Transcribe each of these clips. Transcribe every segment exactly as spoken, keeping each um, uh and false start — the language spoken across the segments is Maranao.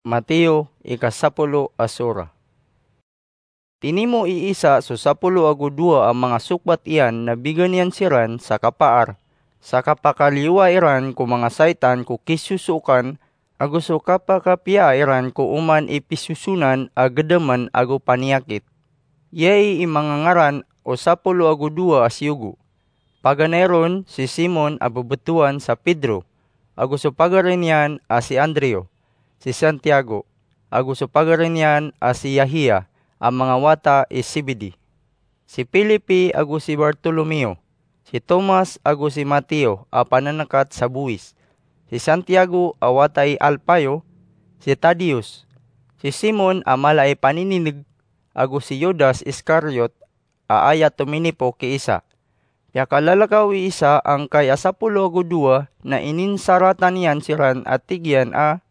Mateo, ika sapolo a sura. Tinimo i Isa so sapolo ago dowa a manga sokbat iyan na bigan iyan siran sa kapaar, sa kapakaliyowa iran ko manga saitan ko kisosookan, ago so kapakapiya iran ko oman i pisosonan a gedaman ago paniyakit. Iyai i manga ngaran o sapolo ago dowa a siyogo. Paganay ron si Simon a bebetowan sa Pedro, ago so pagari niyan a si Andrew, si Santiago, ago so pagari niyan a si Yahia, a manga wata i Zebedee, si Felipe ago si Bartolomeo, si Tomas ago si Mateo a pananakat sa bowis, si Santiago a wata i Alfeo, si Tadeus, si Simon a mala i paninineg, ago si Judas Iscariot, a aya tominipok ki Isa. Piyakalalakaw i Isa angkai a sapolo ago dowa na ininsaratan iyan siran a tig iyan a,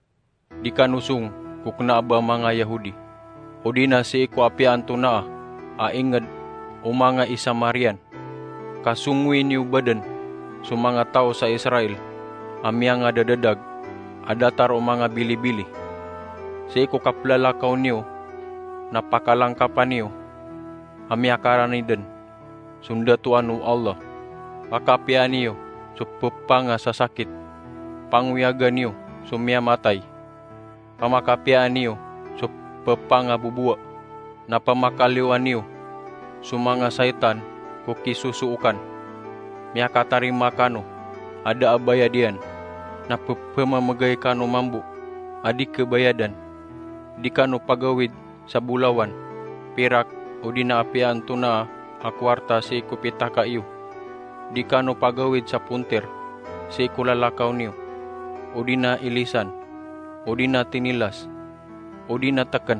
"Di kano song ko kena a ba manga Yahudi, odi na sii ko apiya antonaa a inged o manga i Samarian, ka songowi niyo baden so manga taw sa Israel a miyangadadag a datar o manga bilibili. Sii ko kaplalakaw niyo na pakalangkapan iyo a miyakarani den so ndatoan o Allah. Pakapiyaan iyo so pepangasasakit, pangoyagan iyo so miyamatay, pamakapiyaan iyo so pepangabobowa, na pamakaliyowan iyo so manga saitan ko kisosookan. Miyakatarima kano a da a bayad iyan, na pepemamegay kano mambo a di kebayadan. Di kano pagawid sa bolawan, pirak, odi na apiya antonaa a kowarta sii ko pitaka iyo. Di kano pagawid sa ponter sii ko lalakaw niyo, odi na ilisan, odi na tinilas, odi na teken.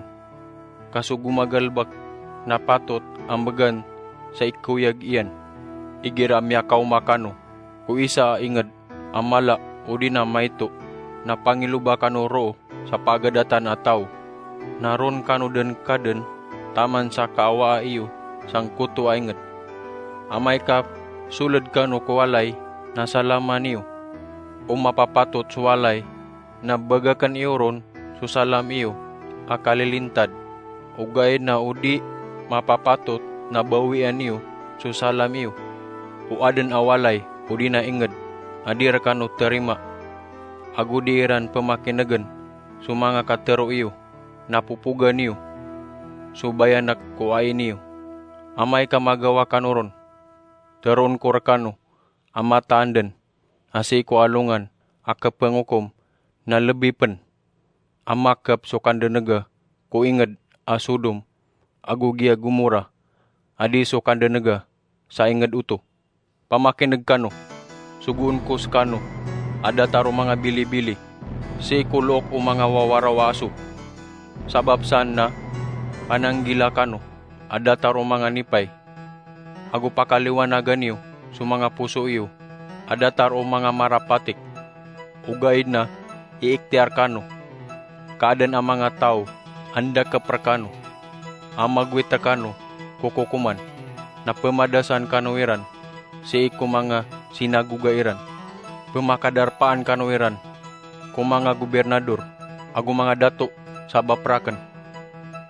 Ka so gomagalebek na patot a mbegan sa ikoyag iyan, igira a miyakaoma kano ko isa a inged a mala odi na maito, na pangiloba kano roo sa pagadatan a taw, na ron kano den kaden taman sa kaawaa iyo sangkoto a inged. Amay ka soled kano ko walay, na salaman iyo o mapapatot so walay, na bagaken iyo ron so salam iyo a kalilintad. Ogaid na o di mapapatot, na bawian iyo so salam iyo o aden a walay odi na inged a di rekano terima, ago di iran pemakinegen so manga katero iyo, na popogan iyo so bayanek ko ai niyo. Amay ka magawa kano ron, teroon ko rekano a mataan den a sii ko alongan a kepengokom na lebi pen a makep so kandenega ko inged a Sodom ago giya Gomora, a di so kandenega sa inged oto. Pamakineg kano, sogoon ko sekano a datar o manga bilibili sii ko look o manga wawaraw a aso. Sabap san na pananggila kano a datar o manga nipay, ago pakaliwanagan iyo so manga poso iyo a datar o manga marapatik. Ogaid na iiktiyar kano ka aden a manga taw a ndakep rekano a magowit rekano ko kokoman, na pemadasan kano iran sii ko manga sinagoga iran. Pemakadarpaan kano iran ko manga gobirnador ago manga dato sabap raken.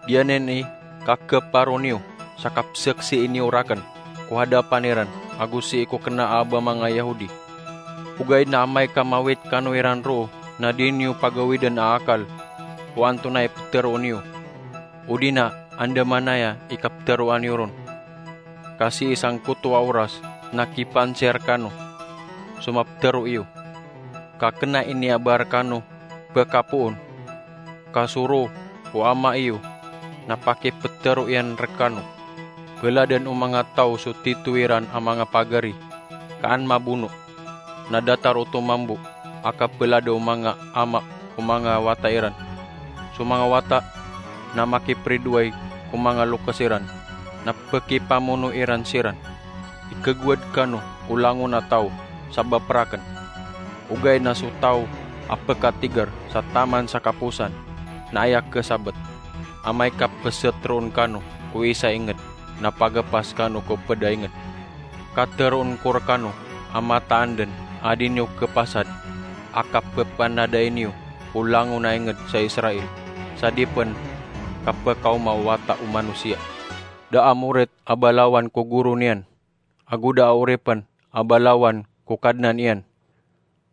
Giyanan i kakeparo niyo sa kapseksii niyo raken ko hadapan iran ago sii ko kena a ba manga Yahudi. Ogaid na amay ka mawit kano iran roo, na di niyo pagawiden a akal o antonaa i petero niyo, odi na andamanaya i kapteroan iyo ron. Ka sii sangkoto a oras na kipansiya rekano so mapetero iyo, ka kena i iniaba rekano pekapoon. Ka so roo o Ama iyo na pakipetero iyan rekano. Peladen o manga taw so tito iran a manga pagari, ka an mabono. Na datar oto mambo a kapelada o manga ama ko manga wata iran. So manga wata na makipridoay ko manga lokes iran, na pekipamono iran siran. Ikegowad kano o langon a taw sabap raken. Ogaid na so taw a pekatigar sa taman sa kaposan na aya kesabet. Amay ka peseteroon kano ko isa a inged, na pagapas kano ko ped a inged. Kateroon ko rekano a mataan den a di niyo kepasad a kapepanadai niyo ko o langon a inged sa Israel, sa di pen kapekaoma o Wata o Manosiya. Da a morit a balawan ko goro niyan, ago da a oripen a balawan ko kadnan iyan.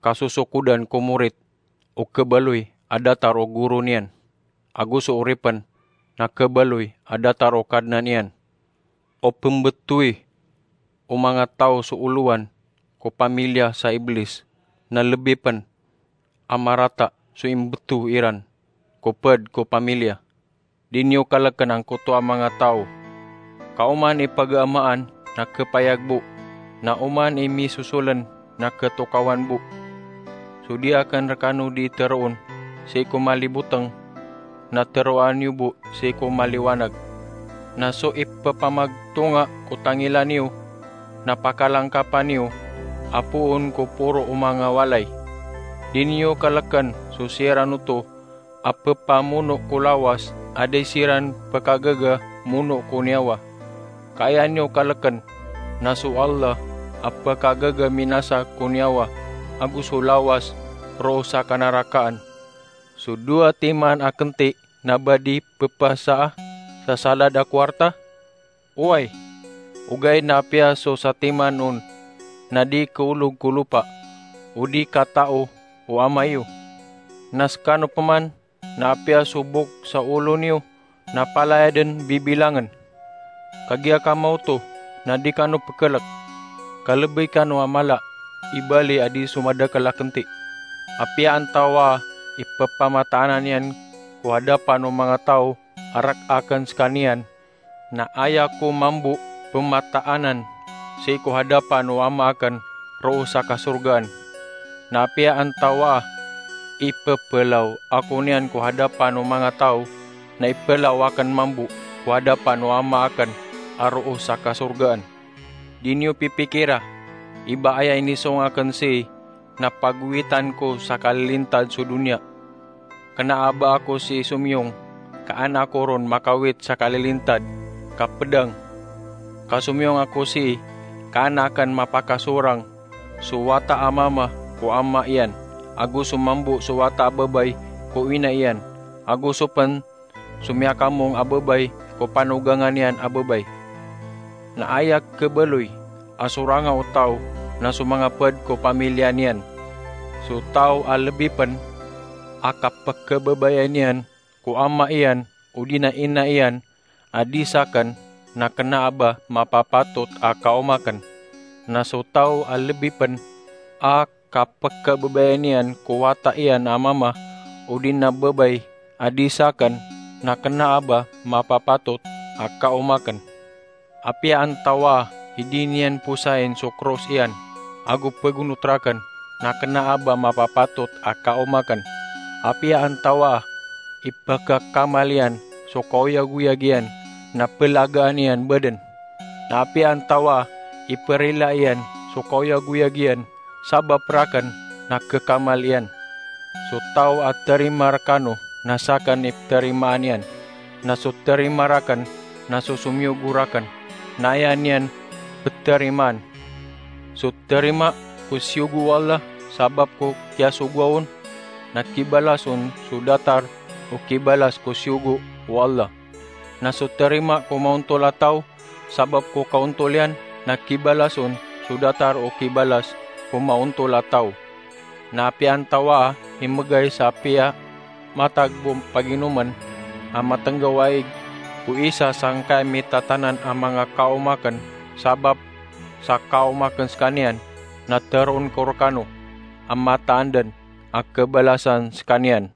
Kasosokodan ko morit o kebaloy a datar o goro niyan, ago so oripen na kebaloy a datar o kadnan iyan. O pembetowi o manga taw so olowan ko pamilya sa Iblis, na lebi pen a marata so imbeto iran ko ped ko pamilya. Di niyo kaleken angkoto a manga taw. Ka oman i pagaamaan na kepayag bo, na oman i misosolen na ketokawan bo. So di aken rekano di teroon sii ko maliboteng, na teroa niyo bo sii ko maliwanag. Na so ipepamagtonga ko tangila niyo, na pakalangkapa niyo a poon ko poro o manga walay. Di niyo kaleken so siran oto a pepamono ko lawas a di siran pekagaga mono ko niyawa. Ka aya niyo kaleken na so Allah a pekagaga minasa ko niyawa ago so lawas roo sa kanarakaan. So dowa timan a kenti na ba di pepasaa sa salad a kowarta? Oway, ogaid na apiya so satiman on na di keolog ko lopa, o di katao o Ama iyo. Na sekano peman, na apiya so bok sa olo niyo na palaya den bibilangen. Kagiya kamaoto na di kano pekelek, ka lebey kano a mala i bali a di so madakel a kenti. Apiya antawaa i pepamataanan iyan ko hadapan o manga taw a rek aken sekaniyan, na aya ko mambo pemataanan sii ko hadapan o Ama aken roo sa kasorgaan. Na apiya antawaa i pepelaw ako niyan ko hadapan o manga taw, na ipelaw aken mambo ko hadapan o Ama aken a roo sa kasorgaan. Di niyo pipikira i ba aya inisong aken sii na pagowitan ko sa kalilintad so doniya. Kena a ba ako sii somiyong, ka an ako ron makawit sa kalilintad, ka pedang. Ka somiyong ako sii, ka an aken mapakasorang so wata a mama ko ama iyan, ago so mambo so wata a babay ko ina iyan, ago so pen so miyakamong a babay ko panogangan iyan a babay. Na aya kebaloy a soranga o taw na so manga ped ko pamiliya niyan. So taw a lebi pen a kapekebabayai niyan ko ama iyan odi na ina iyan a di saken, na kena a ba mapapatot a kaoma aken. Na so taw a lebi pen a kapekebabayai niyan ko wata iyan a mama odi na babay a di saken, na kena a ba mapapatot a kaoma aken. Apiya antawaa i di niyan posayen so kros iyan ago pegonot raken, na kena a ba mapapatot a kaoma aken. Apiya antawaa i pekakamal iyan so kaoyagoyag iyan na pelagaan iyan baden. Na apiya antawaa i perila iyan so kaoyagoyag iyan sabap raken na kekamal iyan. So taw a terima rekano na saken i peterimaan iyan, na so terima raken na so somiyogo raken na aya niyan peterimaan. So terima ko siyogo o Allah sabap ko kiyasogoa on, na kibalas on so datar o kibalas ko siyogo o Allah. Na so terima ko maontol a taw sabap ko kaontol iyan, na kibalas on so datar o kibalas ko maontol a taw. Na apiya antawaa i megay sa apiya matag bo paginomen a matenggaw a ig ko isa sangkai mitatanan a manga kaoma aken sabap sa kaoma aken sekaniyan, na teroon ko rekano a mataan den a kebalasan sekaniyan.